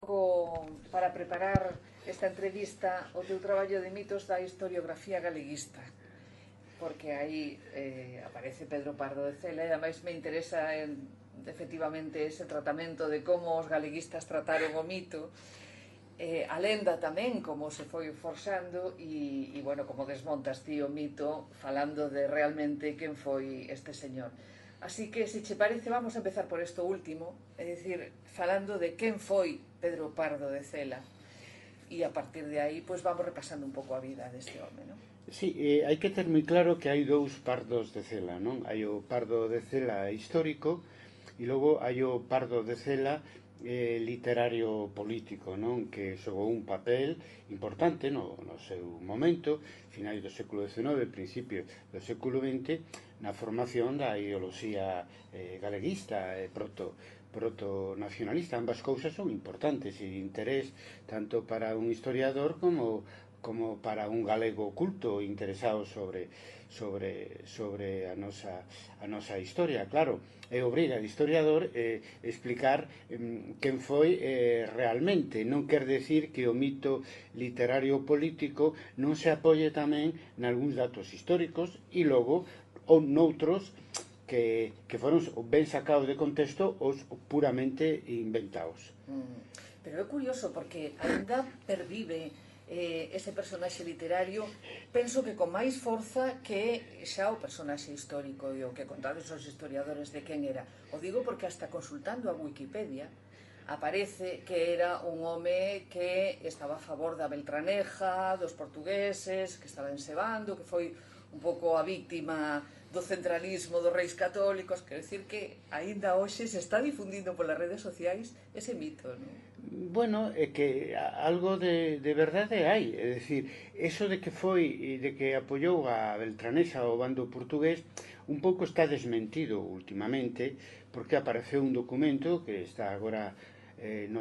Para preparar esta entrevista o teu traballo de mitos da historiografía galeguista, porque aí aparece Pedro Pardo de Cela e ademais me interesa efectivamente ese tratamento de como os galeguistas trataron o mito, a lenda tamén, como se foi forxando bueno, como desmontas ti o mito falando de realmente quen foi este señor. Así que, se che parece, vamos a empezar por isto último, é dicir, falando de quen foi Pedro Pardo de Cela, e a partir de aí, pois vamos repasando un pouco a vida deste home, non? Sí, hai que ter moi claro que hai dous pardos de Cela, non? Hai o pardo de Cela histórico e logo hai o pardo de Cela literario político, non? Que xogou un papel importante no seu momento, finais do século XIX, principio do século XX, na formación da ideoloxía galeguista e proto-nacionalista. Ambas cousas son importantes e de interés tanto para un historiador como para un galego culto interesado sobre a nosa historia. Claro, é obriga ao historiador explicar quen foi realmente. Non quer decir que o mito literario político non se apoie tamén nalgúns datos históricos e logo ou noutros que foron ben sacados de contexto os puramente inventados. Pero é curioso porque ainda pervive ese personaxe literario, penso que con máis forza que xa o personaxe histórico e o que contades os historiadores de quen era. O digo porque hasta consultando a Wikipedia aparece que era un home que estaba a favor da Beltraneja, dos portugueses, que estaba ensebando, que foi un pouco a víctima do centralismo dos reis católicos. Quero dicir que aínda hoxe se está difundindo polas redes sociais ese mito, non? Bueno, é que algo de verdade hai, é dicir, eso de que foi e de que apoiou a Beltranexa ao bando portugués un pouco está desmentido últimamente, porque apareceu un documento que está agora no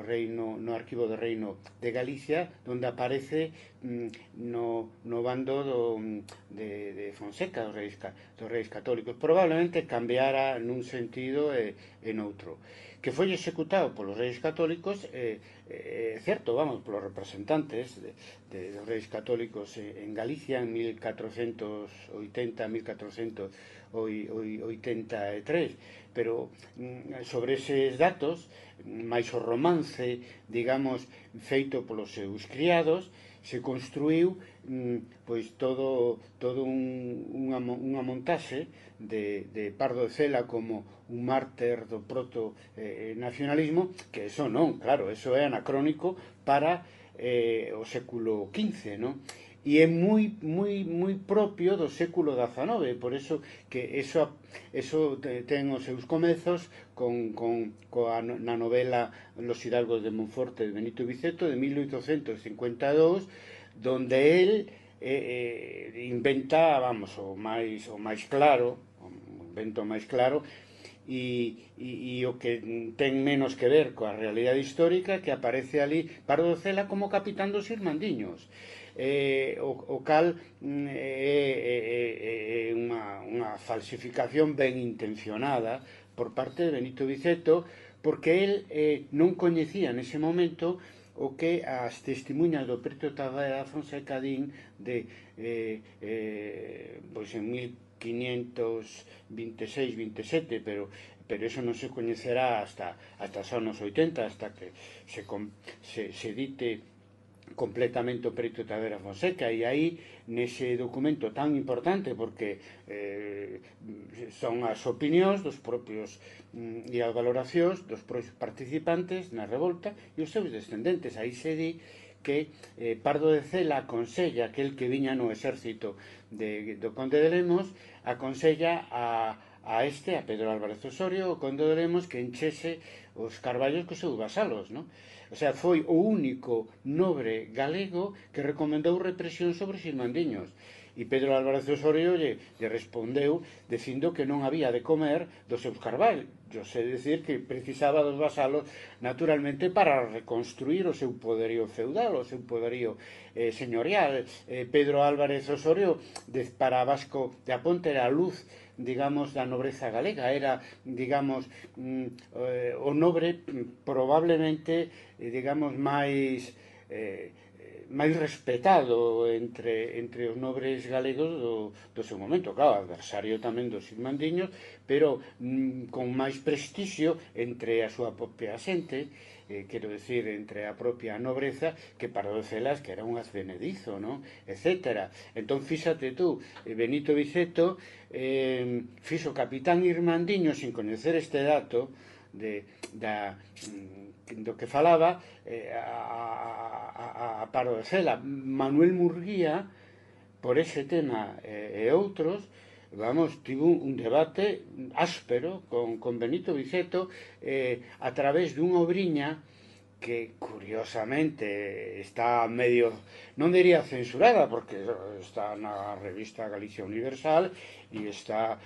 Arquivo do Reino de Galicia, onde aparece no bando de Fonseca, dos reis católicos. Probablemente cambiara nun sentido e noutro. Que foi executado polos reis católicos, certo, vamos, polos representantes dos reis católicos en Galicia en 1480-1483, pero sobre eses datos, máis o romance, digamos, feito polos seus criados, se construiu pois todo unha montaxe de Pardo de Cela como un mártir do proto-nacionalismo, que eso non, claro, eso é anacrónico para o século XV, non? E é moi propio do século XIX, por eso que eso ten os seus comezos na novela Los Hidalgos de Monforte de Benito Viceto de 1852, donde él inventa, vamos, o máis claro, e o que ten menos que ver coa realidade histórica, que aparece ali Pardo de Cela como capitán dos Irmandiños, o cal é unha falsificación ben intencionada por parte de Benito Viceto, porque el non coñecía nese momento o que as testemunhas do Preto Tavera Fonseca din de pois en 1526-27, pero eso non se coñecerá hasta os anos 80, hasta que se dite completamente o Preto Tavera Fonseca. E aí, nese documento tan importante, porque son as opinións dos propios e as valoracións dos propios participantes na revolta e os seus descendentes. Aí se di que Pardo de Cela aconsella, aquel que viña no exército do Conde de Lemos, aconsella a Pedro Álvarez Osorio, o Conde de Lemos, que enchese os carballos cos seus vasalos, non? O sea, foi o único nobre galego que recomendou represión sobre os irmandiños. E Pedro Álvarez Osorio lle respondeu dicindo que non había de comer dos seus carballos, é dicir, que precisaba dos vasalos naturalmente para reconstruir o seu poderío feudal, o seu poderío señorial. Pedro Álvarez Osorio para Vasco de Aponte era a luz, digamos, da nobreza galega, era, digamos, o nobre probablemente, digamos, máis respetado entre os nobres galegos do seu momento, claro, adversario tamén dos irmandiños, pero con máis prestixio entre a súa propia xente, quero decir, entre a propia nobreza, que Pardo de Celas, que era un advenedizo, ¿no? Etcétera. Entón, fíxate tú, Benito Viceto fixo capitán irmandiño sin coñecer este dato do que falaba a Pardo de Cela. Manuel Murguía, por ese tema e outros, vamos, tivo un debate áspero con Benito Viceto a través dunha obriña que curiosamente está medio, non diría censurada, porque está na revista Galicia Universal e está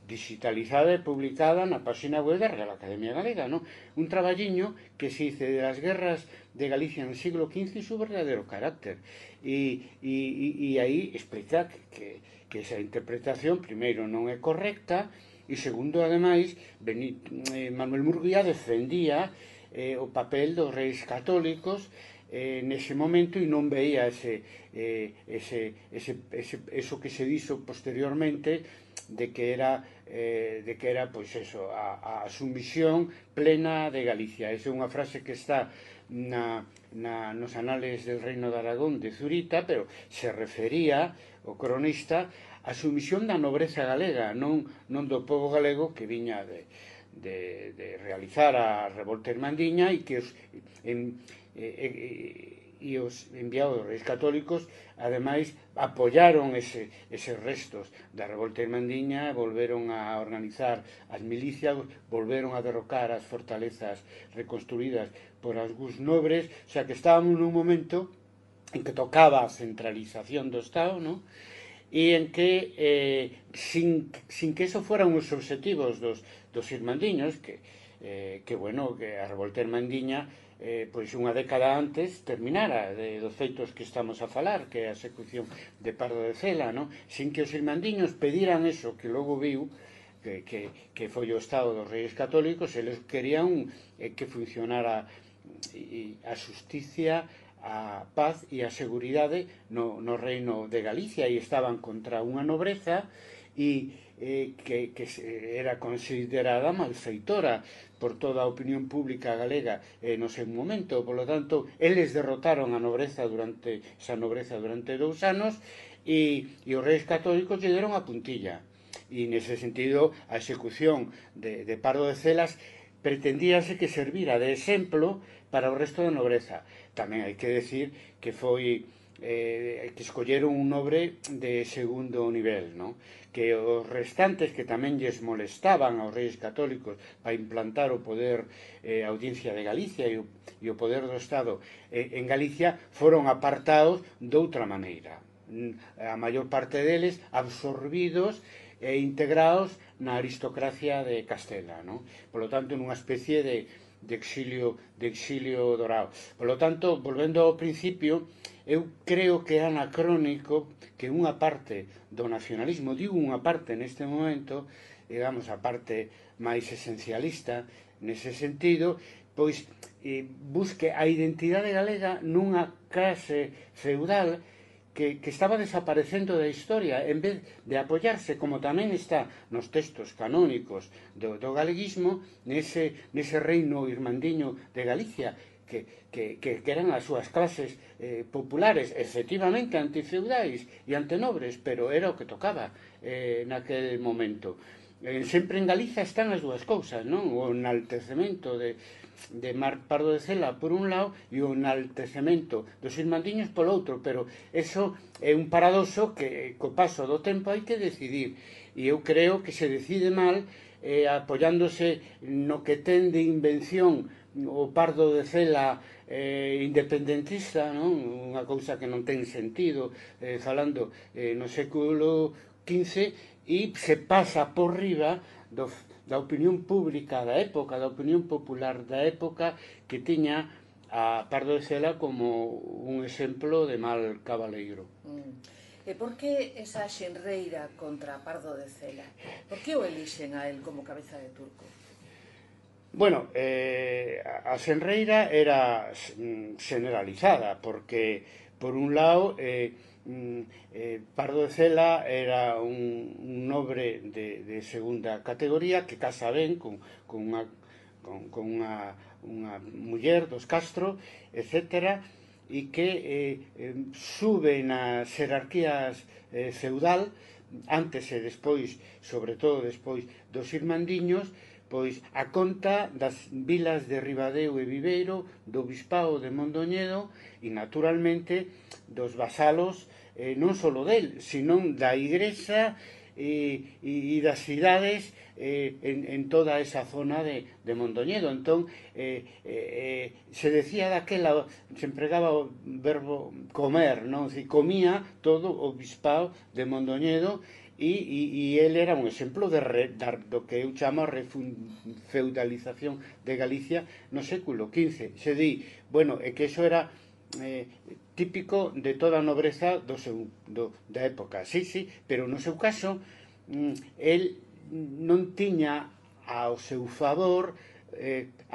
digitalizada e publicada na página web da Real Academia Galega, ¿no? Un traballiño que se dice de las guerras de Galicia en el siglo XV y su verdadero carácter, e aí explica que esa interpretación, primeiro, non é correcta, e segundo, ademais, Manuel Murguía defendía o papel dos reis católicos nese momento e non veía eso que se dixo posteriormente de que era pois eso, a sumisión plena de Galicia. Esa é unha frase que está nos anales del Reino de Aragón de Zurita, pero se refería o cronista a sumisión da nobreza galega, non do povo galego que viña de realizar a revolta irmandiña e que os enviados dos reis católicos ademais apoyaron eses restos da revolta irmandiña, volveron a organizar as milicias, volveron a derrocar as fortalezas reconstruídas por algúns nobres, o sea que estábamos nun momento en que tocaba a centralización do Estado, ¿no? E en que sin que eso fueran os objetivos dos irmandiños, que a revolta irmandiña pois unha década antes terminara dos feitos que estamos a falar, que é a execución de Pardo de Cela, ¿no? Sin que os irmandiños pediran eso que logo viu, que foi o Estado dos Reis Católicos, eles querían que funcionara a justicia, a paz e a seguridade no reino de Galicia, e estaban contra unha nobreza e que era considerada malfeitora por toda a opinión pública galega no seu momento. Por lo tanto, eles derrotaron a nobreza durante 2 anos e os reis católicos lle deron a puntilla. E nese sentido, a execución de Pardo de Celas pretendíase que servira de exemplo para o resto da nobreza. Tamén hai que decir que foi que escolleron un nobre de segundo nivel, ¿no? Que os restantes que tamén lles molestaban aos reis católicos para implantar o poder, a audiencia de Galicia e o poder do Estado en Galicia, foron apartados doutra maneira. A maior parte deles absorbidos e integrados na aristocracia de Castela, ¿no? Por lo tanto, nunha especie de exilio dorado. Por lo tanto, volvendo ao principio, eu creo que é anacrónico que unha parte do nacionalismo, digo unha parte neste momento, digamos a parte máis esencialista nese sentido, pois busque a identidade galega nunha clase feudal que estaba desaparecendo da historia, en vez de apoiarse, como tamén está nos textos canónicos do galeguismo, nese reino irmandiño de Galicia, que eran as súas clases populares, efectivamente antifeudais e antenobres, pero era o que tocaba naquele momento. Sempre en Galiza están as dúas cousas, non? O enaltecemento de Pardo de Cela por un lado e o enaltecemento dos irmandiños polo outro, pero eso é un paradoxo que co paso do tempo hai que decidir, e eu creo que se decide mal apoiándose no que ten de invención o Pardo de Cela independentista, non? Unha cousa que non ten sentido, falando no século XV, e se pasa por riba da opinión pública da época, da opinión popular da época, que tiña a Pardo de Cela como un exemplo de mal cabaleiro. E por que esa xenreira contra Pardo de Cela? Por que o elixen a él como cabeza de turco? Bueno, a xenreira era generalizada, porque, por un lado, Pardo de Cela era un nobre de segunda categoría que casa ben con unha muller dos Castro, etc., e que sube nas xerarquías feudal, antes e despois, sobre todo despois dos irmandiños, pois a conta das vilas de Ribadeo e Viveiro, do bispado de Mondoñedo e, naturalmente, dos vasalos non só del, sino da igrexa e das cidades en toda esa zona de Mondoñedo. Entón, se decía daquela, se empregaba o verbo comer, non? Se comía todo o bispado de Mondoñedo, e ele era un exemplo do que eu chamo a refeudalización de Galicia no século XV. Se di, bueno, é que iso era típico de toda a nobreza da época. Sí, pero no seu caso, el non tiña ao seu favor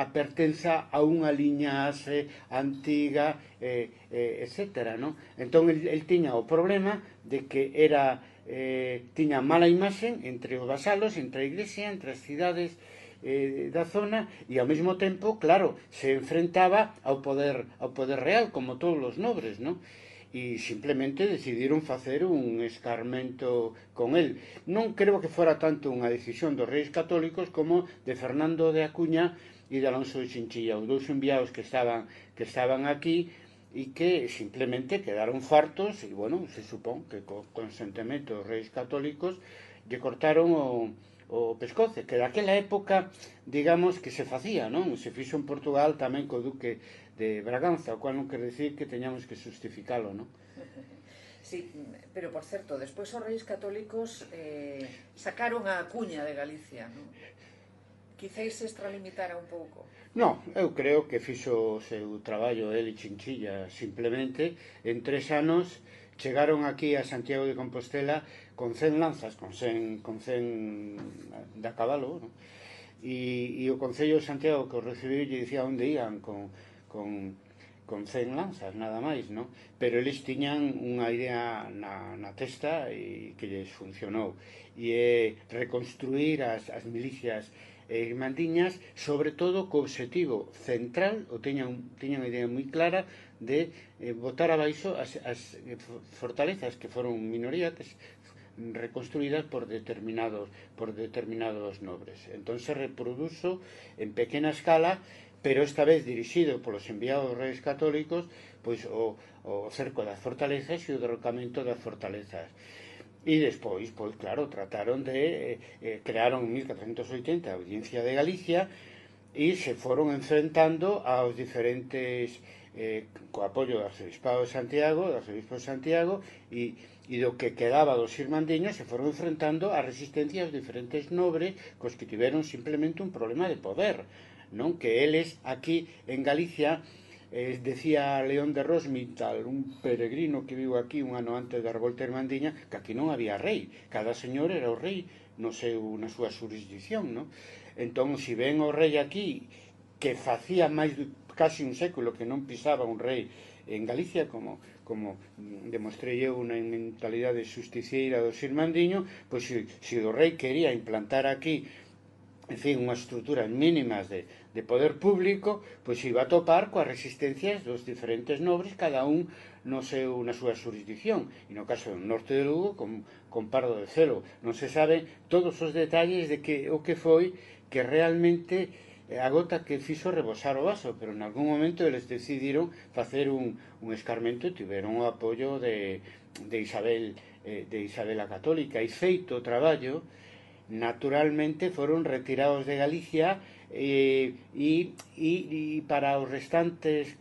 a pertenza a unha liñaxe antiga, etc., non? Entón, el tiña o problema de que tiña mala imaxe entre os vasalos, entre a iglesia, entre as cidades da zona, e ao mesmo tempo, claro, se enfrentaba ao poder real, como todos os nobres, non? E simplemente decidiron facer un escarmento con el. Non creo que fora tanto unha decisión dos reis católicos como de Fernando de Acuña e de Alonso de Chinchilla, os dous enviados que estaban aquí, e que simplemente quedaron fartos, e, bueno, se supón que co consentimento dos reis católicos lle cortaron o pescoce, que daquela época, digamos, que se facía, non? Se fixo en Portugal tamén co duque de Braganza, o cual non quer decir que teñamos que justificalo, non? Sí, pero, por certo, despois os reis católicos sacaron a Acuña de Galicia, non? Quizáis se extralimitara un pouco. Non, eu creo que fixo o seu traballo el e Chinchilla. Simplemente, en 3 anos, chegaron aquí a Santiago de Compostela con 100 lanzas, con 100 da cabalo, non? E o Concello de Santiago que o recibiu lle dicía onde ian con 100 lanzas, nada máis, non? Pero eles tiñan unha idea na testa e que lles funcionou, e é reconstruir as milicias irmandiñas, sobre todo co obxectivo central, ou tiñan unha idea moi clara de botar abaixo as fortalezas que foron minorías reconstruídas por determinados nobres. Entón se reproduzo en pequena escala, pero esta vez dirixido polos enviados reis católicos, pois o cerco das fortalezas e o derrocamento das fortalezas. E despois, pois claro, trataron de crearon en 1480 a Audiencia de Galicia e se foron enfrentando aos diferentes co apoio do Arzobispado de Santiago e do que quedaba dos irmandiños, se foron enfrentando a resistencia aos diferentes nobres cos que tiveron simplemente un problema de poder, non? Que eles aquí en Galicia, decía León de Rosmital, un peregrino que viu aquí un ano antes da revolta irmandiña, que aquí non había rei, cada señor era o rei na súa jurisdicción, non? Entón, se ven o rei aquí, que facía máis casi un século que non pisaba un rei en Galicia, como demostrei eu na mentalidade justiciera dos irmandiños, pois se o rei quería implantar aquí, en fin, unhas estruturas mínimas de poder público, pois iba a topar coas resistencias dos diferentes nobres, cada un na súa jurisdicción. E no caso do norte de Lugo, con Pardo de Cela, non se sabe todos os detalles de o que foi que realmente a gota que fixo rebosar o vaso, pero en algún momento eles decidiron facer un escarmento e tiveron o apoio de Isabel a Católica, e feito o traballo, naturalmente foron retirados de Galicia e para as restantes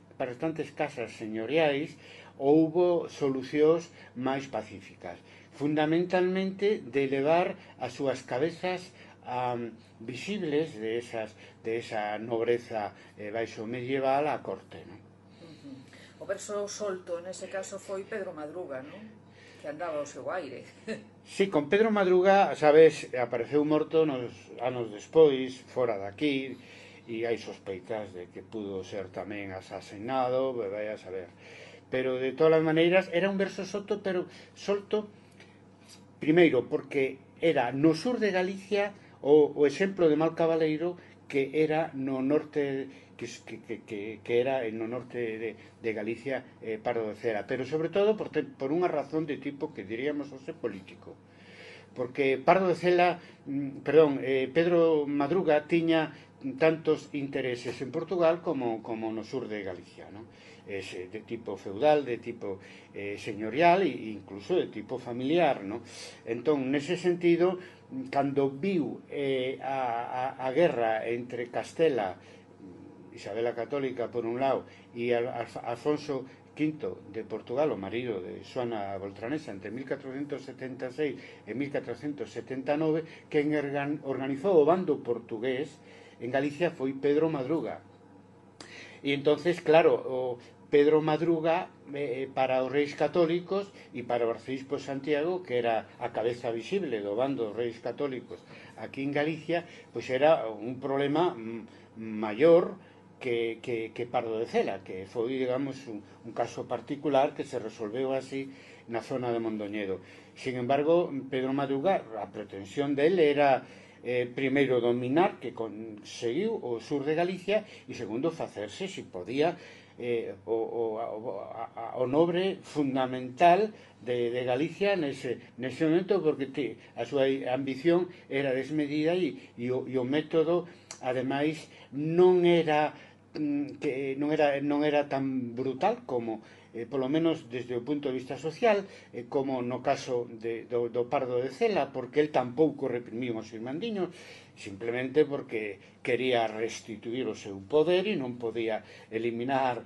casas señoriais houbo solucións máis pacíficas, fundamentalmente de levar as súas cabezas visibles de esa nobreza baixo medieval á corte, non? O verso solto nese caso foi Pedro Madruga, non? Que andaba ao seu aire. Sí, con Pedro Madruga, sabes, apareceu morto nos anos despois, fora daqui, e hai sospeitas de que pudo ser tamén asasinado, vai a saber. Pero de todas as maneiras era un verso solto, pero solto primeiro porque era no sur de Galicia o exemplo de Mal Cabaleiro, que era no norte que era no norte de Galicia, Pardo de Cela, pero sobre todo por unha razón de tipo que diríamos hoxe político, porque Pardo de Cela, Pedro Madruga tiña tantos intereses en Portugal como no sur de Galicia, non? De tipo feudal, de tipo señorial e incluso de tipo familiar, non? Entón, nese sentido, cando viu a guerra entre Castela, Isabel a Católica por un lado, e Alfonso V de Portugal, o marido de Xoana Beltranesa, entre 1476 e 1479, quen organizou o bando portugués en Galicia foi Pedro Madruga. E entonces, claro, o Pedro Madruga, para os reis católicos e para o arcebispo Santiago, que era a cabeza visible do bando dos reis católicos aquí en Galicia, pois era un problema maior que Pardo de Cela, que foi, digamos, un caso particular que se resolveu así na zona de Mondoñedo. Sin embargo, Pedro Madruga, a pretensión dele era primeiro dominar, que conseguiu o sur de Galicia, e segundo facerse, se podía, o nobre fundamental de Galicia nese momento, porque a súa ambición era desmedida e o método, ademais, non era tan brutal como, polo menos desde o punto de vista social, como no caso do Pardo de Cela, porque el tampouco reprimiu os irmandiños, simplemente porque quería restituir o seu poder e non podía eliminar,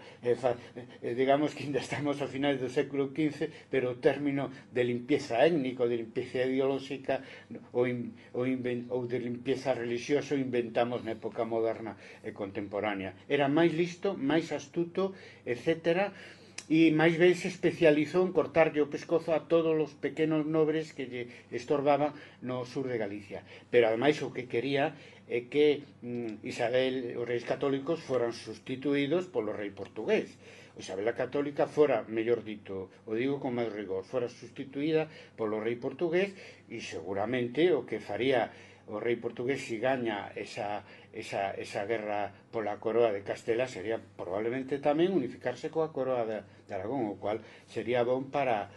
digamos que ainda estamos a finais do século XV, pero o término de limpieza étnico, de limpieza ideolóxica ou de limpieza religiosa inventamos na época moderna e contemporánea. Era máis listo, máis astuto, etcétera, e máis ben se especializou en cortarlle o pescozo a todos os pequenos nobres que lle estorbaban no sur de Galicia. Pero ademais o que quería é que Isabel, os reis católicos, foran sustituídos polo rei portugués. O Isabel a Católica fora, mellor dito, o digo con máis rigor, fora sustituída polo rei portugués, e seguramente o que faría o rei portugués se gaña esa guerra pola coroa de Castela sería probablemente tamén unificarse coa coroa de Aragón, o cual sería bon para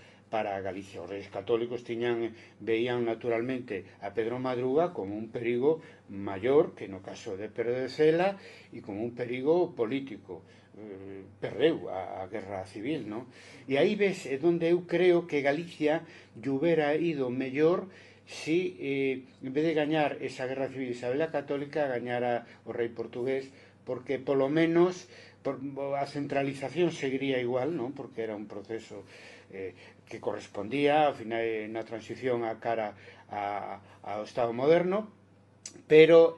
Galicia. Os reis católicos veían naturalmente a Pedro Madruga como un perigo maior que no caso de Pedro de Cela e como un perigo político. Perdeu a guerra civil, non? E aí ves onde eu creo que Galicia lle hubiera ido mellor si, en vez de gañar esa guerra civil Isabel a Católica, gañara o rei portugués, porque polo menos a centralización seguiría igual, non? Porque era un proceso que correspondía ao final na transición a cara ao Estado moderno, pero,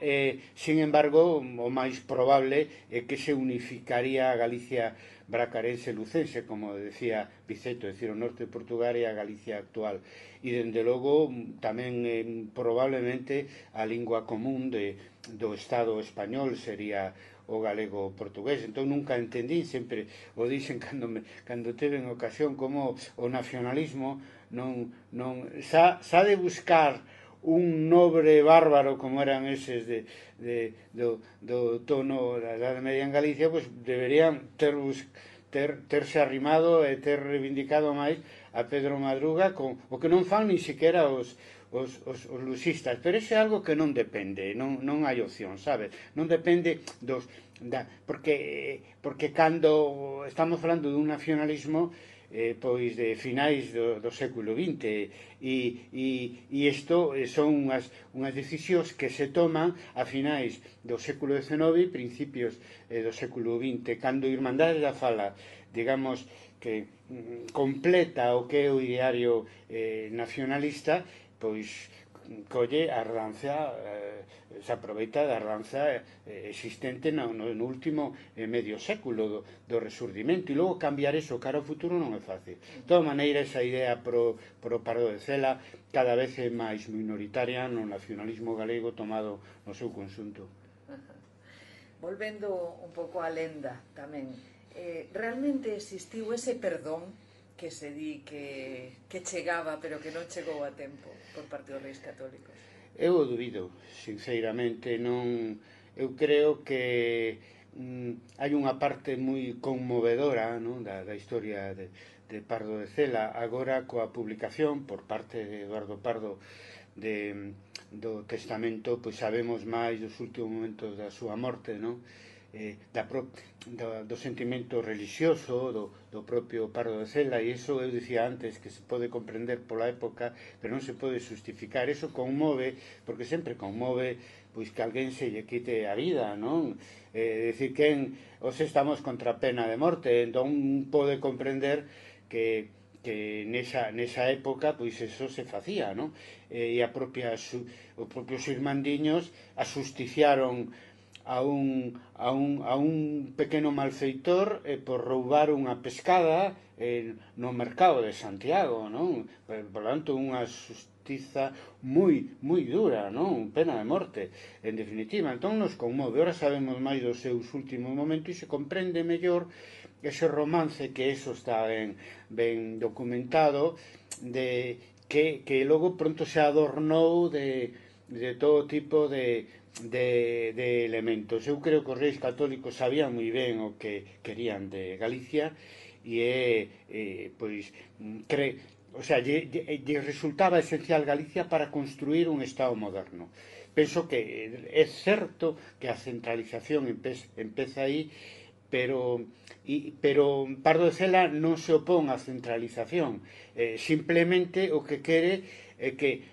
sin embargo, o máis probable é que se unificaría a Galicia bracarense lucense, como decía Biceto, é dicir, o norte de Portugal e a Galicia actual. E, dende logo, tamén probablemente a lingua común do Estado español sería o galego portugués. Entón nunca entendín, sempre o dixen cando teve en ocasión, como o nacionalismo non xa de buscar un nobre bárbaro como eran eses do tono da Edade Media en Galicia, pois deberían terse arrimado e ter reivindicado máis a Pedro Madruga, o que non fan ni siquiera os luxistas, pero iso é algo que non depende, non hai opción, sabes? Non depende porque cando estamos falando dun nacionalismo, pois de finais do século XX e isto son unhas decisións que se toman a finais do século XIX e principios do século XX, cando Irmandade da Fala, digamos, que completa o que é o ideario nacionalista, pois colle a ranza, se aproveita da ranza existente no último medio século do resurdimento, e logo cambiar eso cara ao futuro non é fácil. De toda maneira, esa idea pro Pardo de Cela cada vez é máis minoritaria no nacionalismo galego tomado no seu conxunto. Volvendo un pouco á lenda tamén, realmente existiu ese perdón que se di que chegaba pero que non chegou a tempo por parte dos reis católicos? Eu o dubido, sinceramente, non. Eu creo que hai unha parte moi conmovedora, non, da historia de Pardo de Cela, agora coa publicación por parte de Eduardo Pardo do testamento, pois sabemos máis dos últimos momentos da súa morte, non? Do sentimento religioso do propio Pardo de Cela, e iso eu dicía antes que se pode comprender pola época, pero non se pode justificar. Iso conmove, porque sempre conmove pois que alguén se lle quite a vida, non? Decir, quen os estamos contra a pena de morte, entón pode comprender que nesa época pois eso se facía, non? E os propios irmandiños asusticiaron a un pequeno malfeitor por roubar unha pescada no mercado de Santiago, non? Por tanto, unha xustiza moi dura, non? Pena de morte, en definitiva. Entón nos conmove. Ora sabemos máis dos seus últimos momentos e se comprende mellor ese romance, que eso está ben documentado, de que logo pronto se adornou de todo tipo de elementos. Eu creo que os reis católicos sabían moi ben o que querían de Galicia e pois lle resultaba esencial Galicia para construir un Estado moderno. Penso que é certo que a centralización empeza aí, pero Pardo de Cela non se opón á centralización, simplemente o que quere é que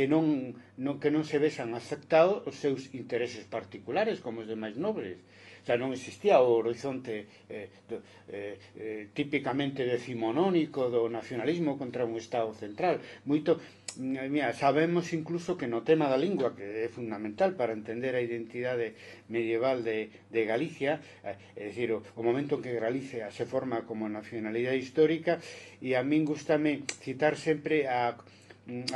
non se vexan aceptados os seus intereses particulares como os demais nobres. O sea, non existía o horizonte típicamente decimonónico do nacionalismo contra un Estado central. Sabemos incluso que no tema da lingua, que é fundamental para entender a identidade medieval de Galicia, é dicir, o momento en que Galicia se forma como nacionalidade histórica, e a min gustame citar sempre a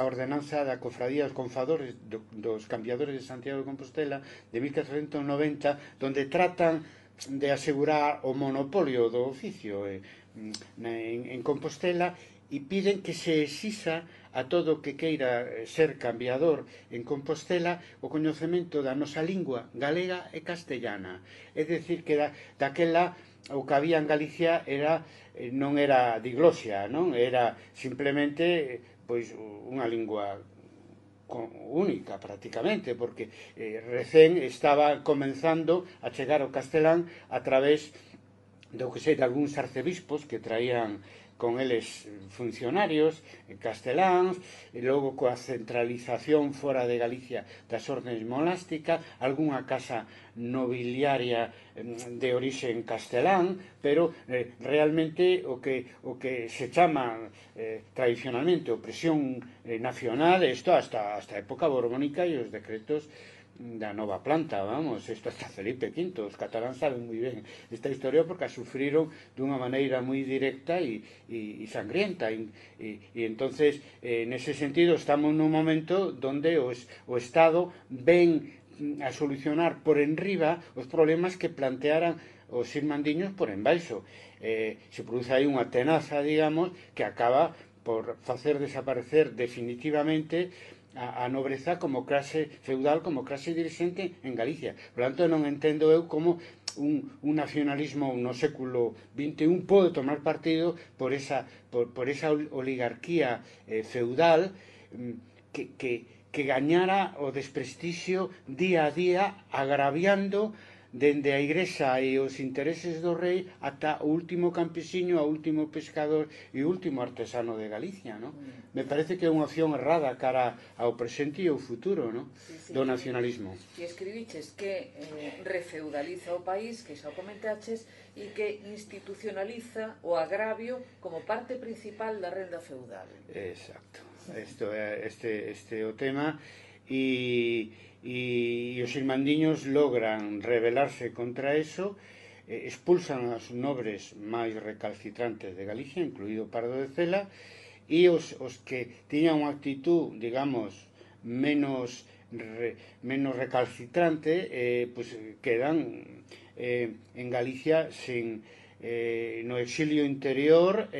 ordenanza da Cofradía dos Confadores dos Cambiadores de Santiago de Compostela de 1490, donde tratan de asegurar o monopolio do oficio en Compostela, e piden que se exixa a todo que queira ser cambiador en Compostela o coñecemento da nosa lingua galega e castellana. É dicir, que daquela o que había en Galicia non era diglosia, non? Era simplemente pois unha lingua única prácticamente, porque recén estaba comenzando a chegar ao castelán a través de algúns arcebispos que traían con eles funcionarios casteláns, e logo coa centralización fora de Galicia das ordenes monásticas, algunha casa nobiliaria de orixe castelán, pero realmente o que se chama tradicionalmente opresión nacional, isto hasta a época borbónica e os decretos da nova planta, vamos, isto hasta Felipe V, os cataláns saben moi ben esta historia porque a sufriron dunha maneira moi directa e sangrienta, e entonces nese sentido estamos nun momento donde o Estado ven a solucionar por enriba os problemas que plantearan os irmandiños por embaixo. Se produce aí unha tenaza, digamos, que acaba por facer desaparecer definitivamente a nobreza como clase feudal, como clase dirixente en Galicia. Por tanto, non entendo eu como un nacionalismo no século XXI pode tomar partido por esa oligarquía feudal que gañara o desprestixio día a día, agraviando dende a Igrexa e os intereses do rei ata o último campesiño, o último pescador e o último artesano de Galicia, ¿no? Me parece que é unha opción errada cara ao presente e ao futuro, ¿no? Do nacionalismo. Que escribiches que refeudaliza o país, que xa o comentaches, e que institucionaliza o agravio como parte principal da renda feudal. Exacto. Este é o tema e os irmandiños logran rebelarse contra eso, expulsan aos nobres máis recalcitrantes de Galicia, incluído Pardo de Cela, e os que tiñan unha actitud, digamos, menos recalcitrante, pues quedan en Galicia no exilio interior,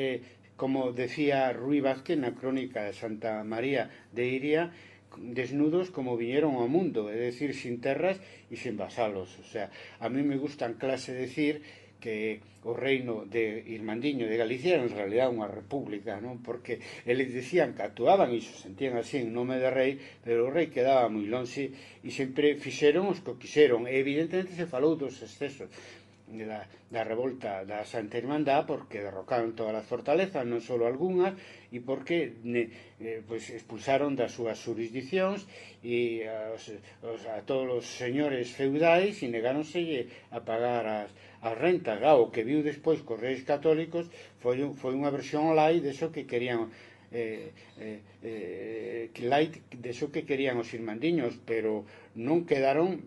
como decía Ruy Vázquez na crónica de Santa María de Iria, desnudos como viñeron ao mundo, é dicir, sin terras e sin vasalos. O sea, a mí me gusta en clase decir que o reino de Irmandiño de Galicia era en realidad unha república, non? Porque eles decían que actuaban e se sentían así en nome de rei, pero o rei quedaba moi lonxe e sempre fixeron os que quixeron. E evidentemente se falou dos excesos da revolta da Santa Irmandad, porque derrocaron todas as fortalezas, non só algunhas, e porque pues, expulsaron das súas jurisdiccións e a todos os señores feudais e negáronse a pagar as rentas. O que viu despois cos reis católicos foi unha versión light deso que querían deso que querían os irmandiños, pero non quedaron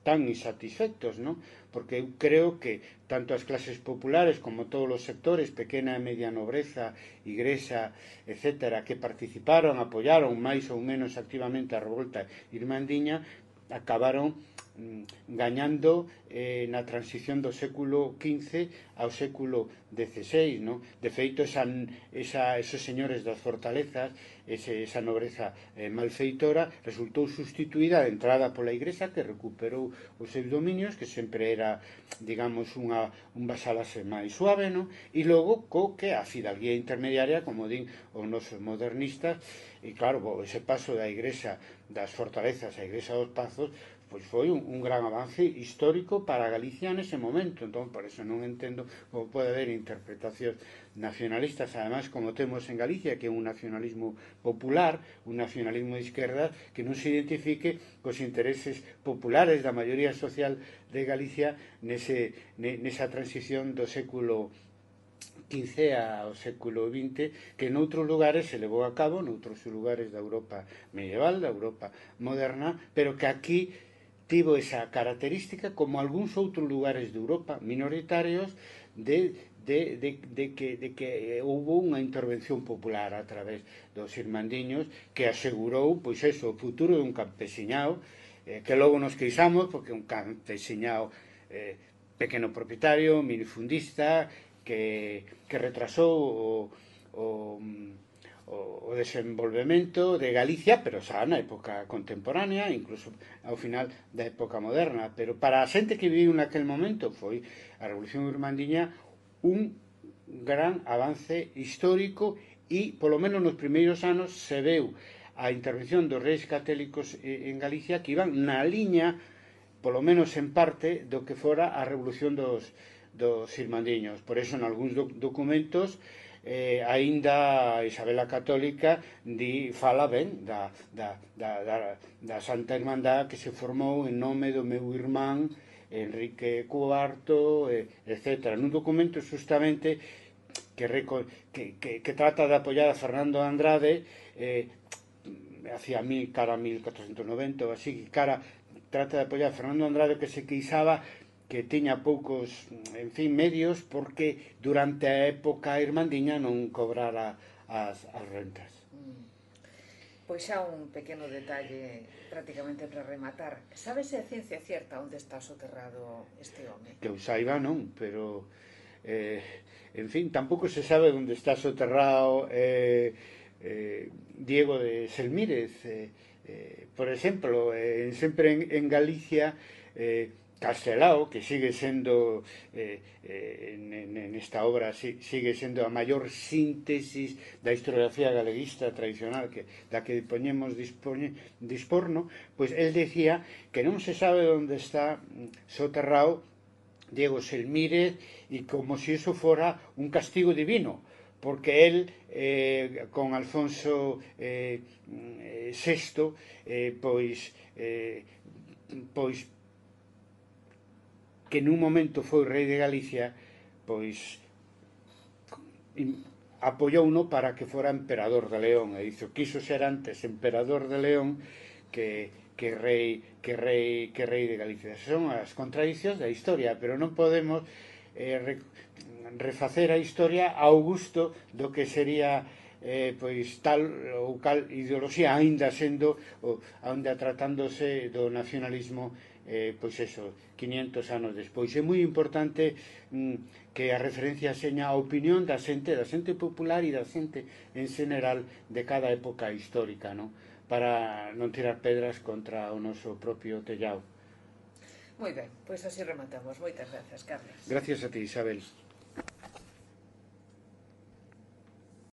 tan insatisfectos, non? Porque eu creo que tanto as clases populares como todos os sectores, pequena e media nobreza, igrexa, etc., que participaron, apoyaron máis ou menos activamente a revolta irmandiña, acabaron gañando na transición do século XV ao século XVI, non? De feito, esos señores das fortalezas, esa nobreza malfeitora, resultou sustituída de entrada pola Igrexa, que recuperou os seus dominios, que sempre era, digamos, un vasalase máis suave, non? E logo, que a fidalguía intermediaria, como din os nosos modernistas, e claro, ese paso da Igrexa das fortalezas á Igrexa dos Pazos, pois foi un gran avance histórico para Galicia nese momento. Entón, por eso non entendo como pode haber interpretacións nacionalistas, además, como temos en Galicia, que é un nacionalismo popular, un nacionalismo de izquierda, que non se identifique cos intereses populares da maioría social de Galicia nesa transición do século XV ao século XX, que noutros lugares se levou a cabo, noutros lugares da Europa medieval, da Europa moderna, pero que aquí tivo esa característica, como algúns outros lugares de Europa minoritarios, de que houve unha intervención popular a través dos irmandiños que asegurou, pois eso, o futuro dun campesiñao, que logo nos queixamos, porque un campesiñao pequeno propietario, minifundista, que retrasou o desenvolvemento de Galicia, pero xa na época contemporánea, incluso ao final da época moderna. Pero para a xente que viviu naquel momento foi a Revolución Irmandiña un gran avance histórico e, polo menos nos primeiros anos, se veu a intervención dos reis católicos en Galicia que iban na liña, polo menos en parte, do que fora a Revolución dos irmandiños. Por eso, en algúns documentos, aínda Isabel a Católica fala ben da Santa Irmandad que se formou en nome do meu irmán Enrique IV, etc. Nun documento justamente que trata de apoiar a Fernando Andrade hacia cara a 1490 ou así, trata de apoiar a Fernando Andrade, que se queixaba que tiña poucos, en fin, medios, porque durante a época irmandiña non cobrara as rentas. Pois xa un pequeno detalle prácticamente para rematar. Sabes a ciencia cierta onde está soterrado este home? Que eu saiba non, pero en fin, tampouco se sabe onde está soterrado Diego de Selmírez, por exemplo, sempre en Galicia Castelao, que sigue sendo nesta obra sigue sendo a maior síntesis da historiografía galeguista tradicional da que poñemos disporno, pois el decía que non se sabe onde está soterrado Diego Selmírez e como se iso fora un castigo divino, porque él con Alfonso VI pois que nun momento foi rei de Galicia, pois apoiouno para que fora emperador de León, e dixo quiso ser antes emperador de León que rei de Galicia. Son as contradicións da historia, pero non podemos refacer a historia ao gusto do que sería pois tal ou cal ideoloxía, aínda tratándose do nacionalismo pois eso, 500 anos despois. É moi importante que a referencia seña a opinión da xente popular e da xente en general de cada época histórica, non? Para non tirar pedras contra o noso propio tellado. Moi ben, pois así rematamos. Moitas grazas, Carlos. Gracias a ti, Isabel.